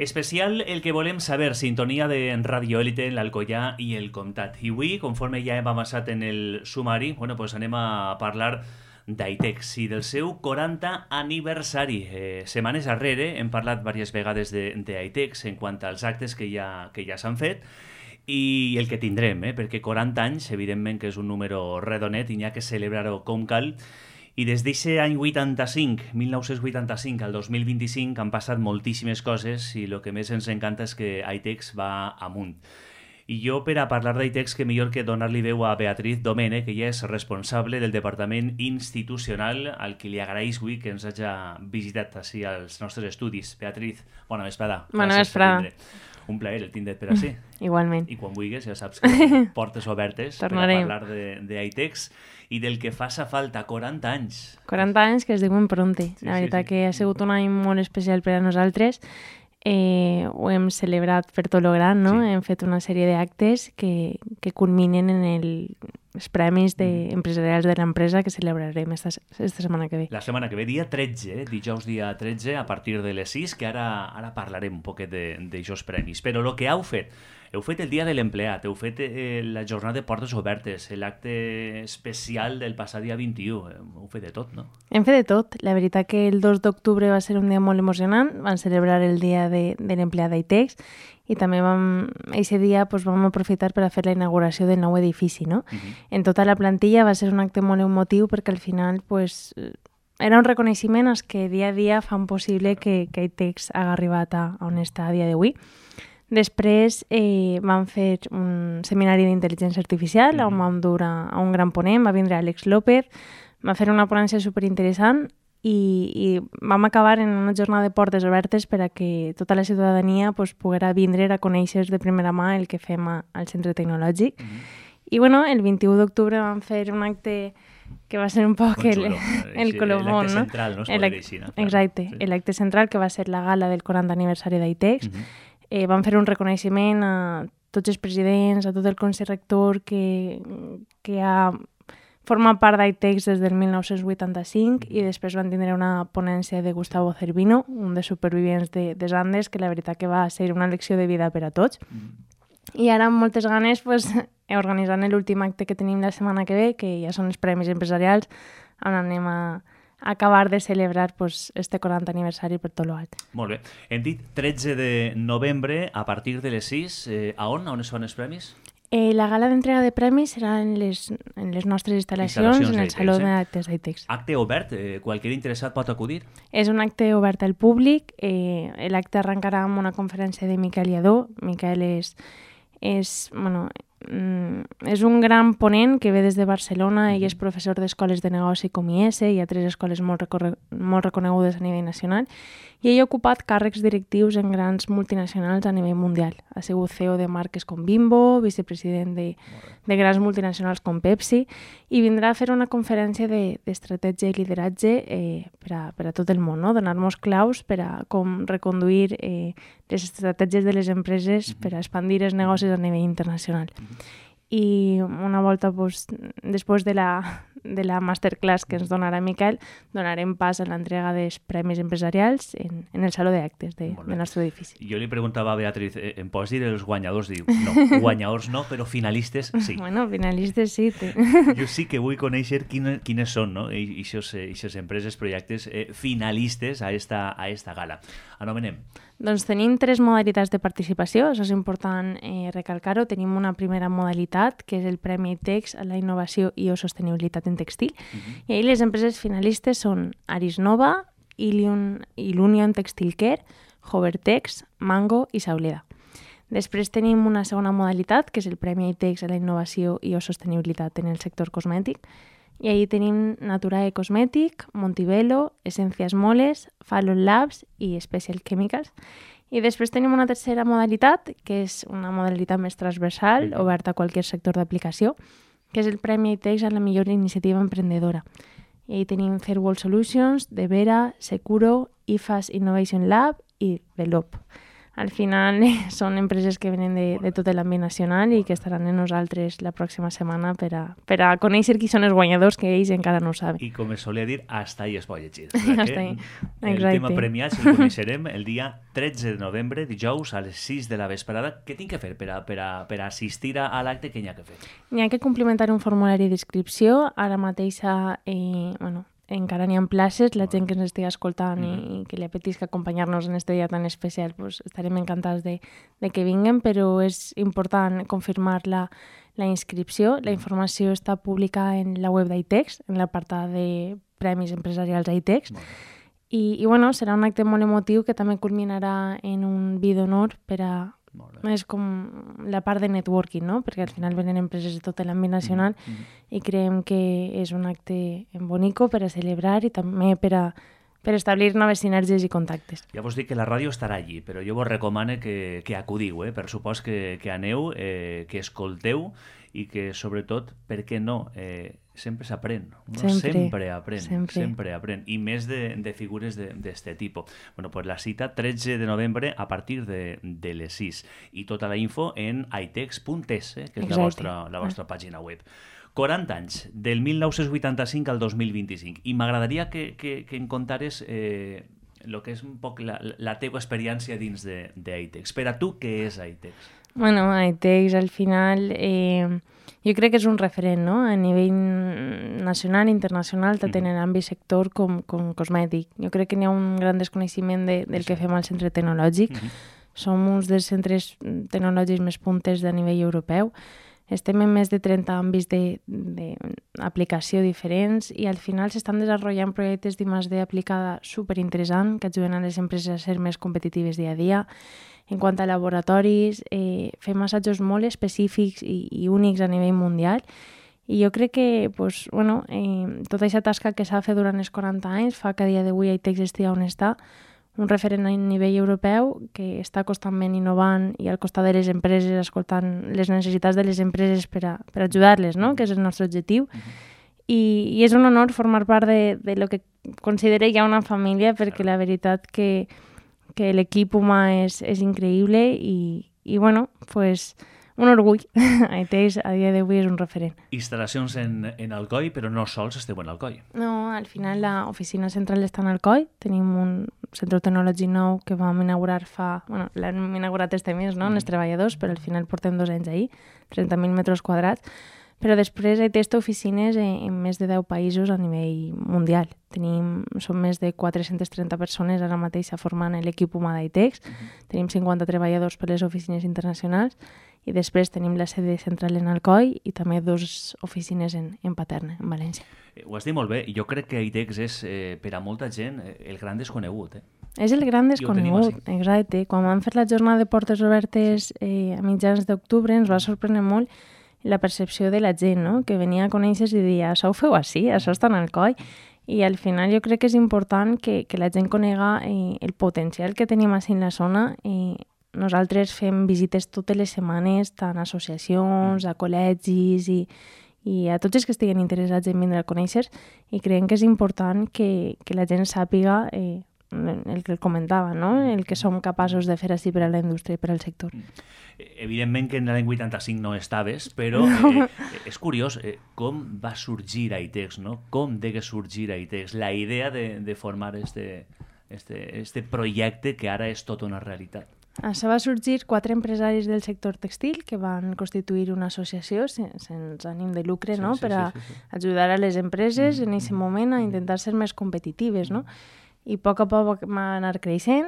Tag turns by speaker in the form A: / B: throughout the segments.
A: Especial el que volem saber, sintonia de Radio Élite, l'Alcoià i el Comtat. I avui, conforme ja hem avançat en el sumari, pues anem a parlar d'Aitex i del seu 40 aniversari. Setmanes darrere hem parlat diverses vegades d'Aitex en quant als actes que ja s'han fet i el que tindrem, perquè 40 anys, evidentment que és un número redonet i n'hi ha que celebrar-ho com cal. I des d'aquest any 1985 al 2025 han passat moltíssimes coses i el que més ens encanta és que Aitex va amunt. I jo, per a parlar d'Aitex, que millor que donar-li veu a Beatriz Domene, que ella és responsable del Departament Institucional, al qui li agraeix avui que ens hagi visitat així als nostres estudis. Beatriz, bona vesprada.
B: Bona vesprada.
A: Un plaer el tindre't per així.
B: Igualment.
A: I quan vulguis, ja saps que portes obertes
B: Tornarem.
A: per a parlar d'Aitex i del que faça falta, 40 anys.
B: 40 anys que es diuen pronte. La veritat que ha sigut un any molt especial per a nosaltres. Ho hem celebrat per tot lo gran, no? Hem fet una sèrie d'actes que culminen en els premis empresarials de l'empresa que celebrarem esta setmana que ve.
A: La setmana que ve, dia 13, dijous dia 13, a partir de les 6, que ara parlarem un poquet d'aixòs premis. Però el que heu fet el dia de l'empleat, heu fet la jornada de portes obertes, l'acte especial del passat dia 21, heu fet de tot, no?
B: Hem fet de tot. La veritat que el 2 d'octubre va ser un dia molt emocionant, vam celebrar el dia de l'empleat d'Aitex i també aquest dia vam aprofitar per a fer la inauguració del nou edifici, no? En tota la plantilla va ser un acte molt emotiu perquè al final era un reconeixement als que dia a dia fan possible que Aitex hagi arribat a on està a dia d'avui. Després vam fer un seminari d'intel·ligència artificial on vam dur a un gran ponent, va vindre Àlex López, va fer una ponència superinteressant i vam acabar en una jornada de portes obertes per a que tota la ciutadania poguera vindre a conèixer de primera mà el que fem al centre tecnològic. I el 21 d'octubre vam fer un acte que va ser un poc el colofón, no?
A: L'acte central, no?
B: Exacte, l'acte central que va ser la gala del 40 aniversari d'Aitex. Vam fer un reconeixement a tots els presidents, a tot el Consell Rector que ha format part d'Aitex des del 1985 i després van tindre una ponència de Gustavo Cervino, un dels supervivents de Andes, que la veritat que va ser una lecció de vida per a tots. I ara amb moltes ganes organitzant l'últim acte que tenim la setmana que ve, que ja són els premis empresarials, on anem a acabar de celebrar este 40 aniversari per tot l'alt.
A: Molt bé. Hem dit 13 de novembre, a partir de les 6. A on es fan els premis?
B: La gala d'entrega de premis serà en les nostres instal·lacions en el Saló d'Actes d'Aitex.
A: Acte obert? Qualsevol interessat pot acudir?
B: És un acte obert al públic. L'acte arrencarà amb una conferència de Miquel Lladó. Miquel és un gran ponent que ve des de Barcelona i és professor d'escoles de negoci com IES i altres escoles molt reconegudes a nivell nacional, i ell ha ocupat càrrecs directius en grans multinacionals a nivell mundial. Ha sigut CEO de marques com Bimbo, vicepresident de grans multinacionals com Pepsi, i vindrà a fer una conferència d'estratègia i lideratge per a tot el món, no? Donar-nos claus per a com reconduir les estratègies de les empreses per a expandir els negocis a nivell internacional. I una volta, després de la masterclass que ens donarà Miquel, donarem pas a l'entrega dels premis empresarials en el Saló d'Actes del nostre edifici.
A: Jo li preguntava a Beatriz, em pots dir els guanyadors? Diu, no, guanyadors no, però finalistes sí.
B: Bueno, finalistes sí.
A: Jo sí que vull conèixer quines són, no? Eixes empreses, projectes finalistes a esta gala. Anomenem.
B: Doncs tenim 3 modalitats de participació, això és important recalcar-ho. Tenim una primera modalitat, que és el Premi Aitex a la innovació i o sostenibilitat en textil. I ahir les empreses finalistes són Arisnova, Ilunion Textile Care, Hovertex, Mango i Sauleda. Després tenim una segona modalitat, que és el Premi Aitex a la innovació i o sostenibilitat en el sector cosmètic. I ahir tenim Naturae Cosmètic, Montibello, Esencias Moles, Fallon Labs i Special Chemicals. I després tenim una tercera modalitat, que és una modalitat més transversal, oberta a qualsevol sector d'aplicació, que és el Premi Aitex a la millor iniciativa emprendedora. I ahir tenim Fairwall Solutions, De Vera, Securo, IFAS Innovation Lab i Velop. al final són empreses que venen de tot l'àmbit nacional i que estaran amb nosaltres la pròxima setmana per a conèixer qui són els guanyadors, que ells encara no ho saben.
A: I com es solia dir, hasta ahí es pot llegir.
B: Hasta ahí.
A: El tema premiat el coneixerem el dia 13 de novembre, dijous, a les 6 de la vesprada. Què tinc que fer per a assistir a l'acte? Què n'hi ha que fer?
B: N'hi ha que complementar un formulari d'inscripció. Ara mateixa, encara n'hi ha places, la gent que ens estigui escoltant i que li apetisca acompanyar-nos en este dia tan especial, pues estarem encantats de que vinguen, però és important confirmar la inscripció. La informació està publicada en la web d'ITEX, en l'apartat de Premis Empresarials ITEX, i bueno, serà un acte molt emotiu que també culminarà en un vi d'honor per a... És com la part de networking, no? Perquè al final venen empreses de tot l'àmbit nacional i creiem que és un acte bonico per a celebrar i també per establir noves sinergies i contactes.
A: Ja vos dic que la ràdio estarà allí, però jo vos recomano que acudiu, per supost que aneu, que escolteu i que, sobretot, per què no, sempre s'aprèn. Sempre aprèn. I més de figures d'este tipus. Bueno, pues la cita 13 de novembre a partir de les 6. I tota la info en itex.es, que és la vostra pàgina web. 40 anys, del 1985 al 2025. I m'agradaria que em contares el que és un poc la teva experiència dins d'ITEX. Per a tu, què és ITEX?
B: Bueno, ITEX al final jo crec que és un referent, no? A nivell nacional i internacional, tant en l'àmbit sector com cosmètic. Jo crec que n'hi ha un gran desconeixement del que fem al centre tecnològic. Som uns dels centres tecnològics més puntes a nivell europeu. Estem en més de 30 àmbits d'aplicació diferents i al final s'estan desenvolupant projectes d'I+D aplicada superinteressant que ajuden a les empreses a ser més competitives dia a dia. En quant a laboratoris, fem assajos molt específics i únics a nivell mundial i jo crec que tota aquesta tasca que s'ha fet durant els 40 anys fa que a dia d'avui ITEX estigui on està, un referent a nivell europeu que està constantment innovant i al costat de les empreses, escoltant les necessitats de les empreses per ajudar-les, no? Que és el nostre objectiu. I és un honor formar part de lo que considero ja una família, perquè la veritat que l'equip humà és increïble i bueno, pues un orgull. ITEX a dia d'avui és un referent.
A: Instal·lacions en Alcoi, però no sols esteu en Alcoi.
B: No, al final l'oficina central està en Alcoi. Tenim un centre tecnològic nou que vam inaugurar l'hem inaugurat este mes, no?, els treballadors, però al final portem 2 anys ahir, 30.000 metres quadrats. Però després ITEX té oficines en més de 10 països a nivell mundial. Som més de 430 persones ara mateix formant l'equip humà d'ITEX. Tenim 50 treballadors per les oficines internacionals i després tenim la sede central en Alcoi i també 2 oficines en Paterna, en València.
A: Ho has dit molt bé. Jo crec que ITEX és, per a molta gent, el gran desconegut.
B: És el gran desconegut, exacte. Quan vam fer la jornada de portes obertes a mitjans d'octubre ens va sorprendre molt la percepció de la gent, no?, que venia a conèixer i deia, això ho feu així, això està en Alcoi. I al final jo crec que és important que la gent conega el potencial que tenim així en la zona. Nosaltres fem visites totes les setmanes, tant a associacions, a col·legis i a tots els que estiguen interessats en vindre a conèixer, i creiem que és important que la gent sàpiga el que comentava, no?, el que som capaços de fer així per a la indústria i per al sector.
A: Evidentment que en l'any 85 no estaves, però és curiós com va sorgir ITEX, no? Com degué sorgir ITEX, la idea de formar este projecte que ara és tota una realitat.
B: Això va sorgir 4 empresaris del sector textil que van constituir una associació sense ànim de lucre, no?, per a ajudar a les empreses en aquest moment a intentar ser més competitives, no? I a poc va anar creixent.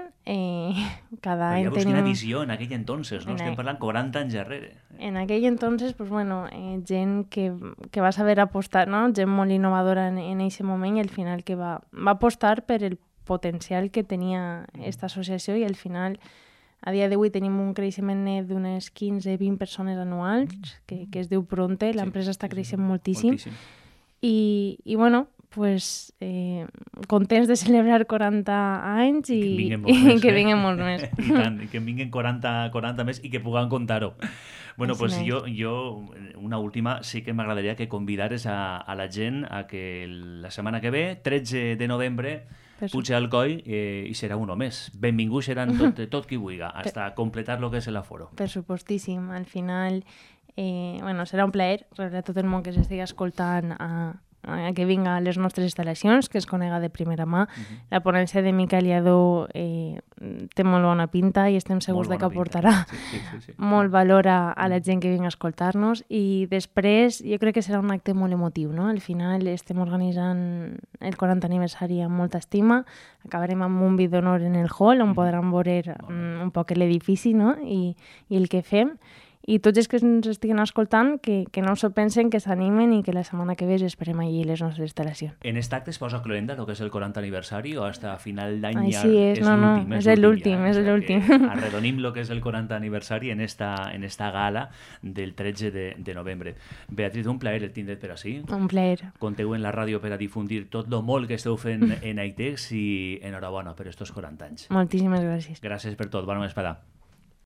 B: Cada any
A: tenim... Quina visió en aquell entonces, no? Estem parlant 40 anys darrere.
B: En aquell entonces, gent que va saber apostar, no?, gent molt innovadora en aquest moment, i al final que va apostar per el potencial que tenia aquesta associació, i al final a dia d'avui tenim un creixement net d'unes 15-20 persones anuals, que es diu Pronte, l'empresa està creixent moltíssim. I bueno, pues, contents de celebrar 40 anys i que vinguin molts més.
A: I tant, i que en vinguin 40 més i que puguem contar-ho. Bueno, pues jo, una última, sí que m'agradaria que convidares a la gent a que la setmana que ve, 13 de novembre, puja al coll i serà un o més. Benvinguts seran tot qui vulgui, hasta completar lo que és l'aforo.
B: Per supostíssim. Al final, serà un plaer rebre a tot el món que s'estigui escoltant a que vinga a les nostres instal·lacions, que es conega de primera mà. La ponència de Miquel Lladó té molt bona pinta i estem segurs que aportarà molt valor a la gent que vinga a escoltar-nos. I després jo crec que serà un acte molt emotiu, no? Al final estem organitzant el 40 aniversari amb molta estima. Acabarem amb un vi d'honor en el hall, on podran veure un poc l'edifici, no? I el que fem. I tots els que ens estiguen escoltant, que no s'ho pensen, que s'animen i que la setmana que ve esperem allí les nostres instal·lacions.
A: En aquest acte es posa cloenda el que és el 40 aniversari o hasta final d'any
B: ja és l'últim? És l'últim.
A: Arredonim el que és el 40 aniversari en esta gala del 13 de novembre. Beatriz, un plaer el tindre't per ací.
B: Un plaer.
A: Conteu en la ràdio per a difundir tot lo molt que esteu fent en Aitex i enhorabona per estos 40 anys.
B: Moltíssimes gràcies.
A: Gràcies per tot. Bona vesprada.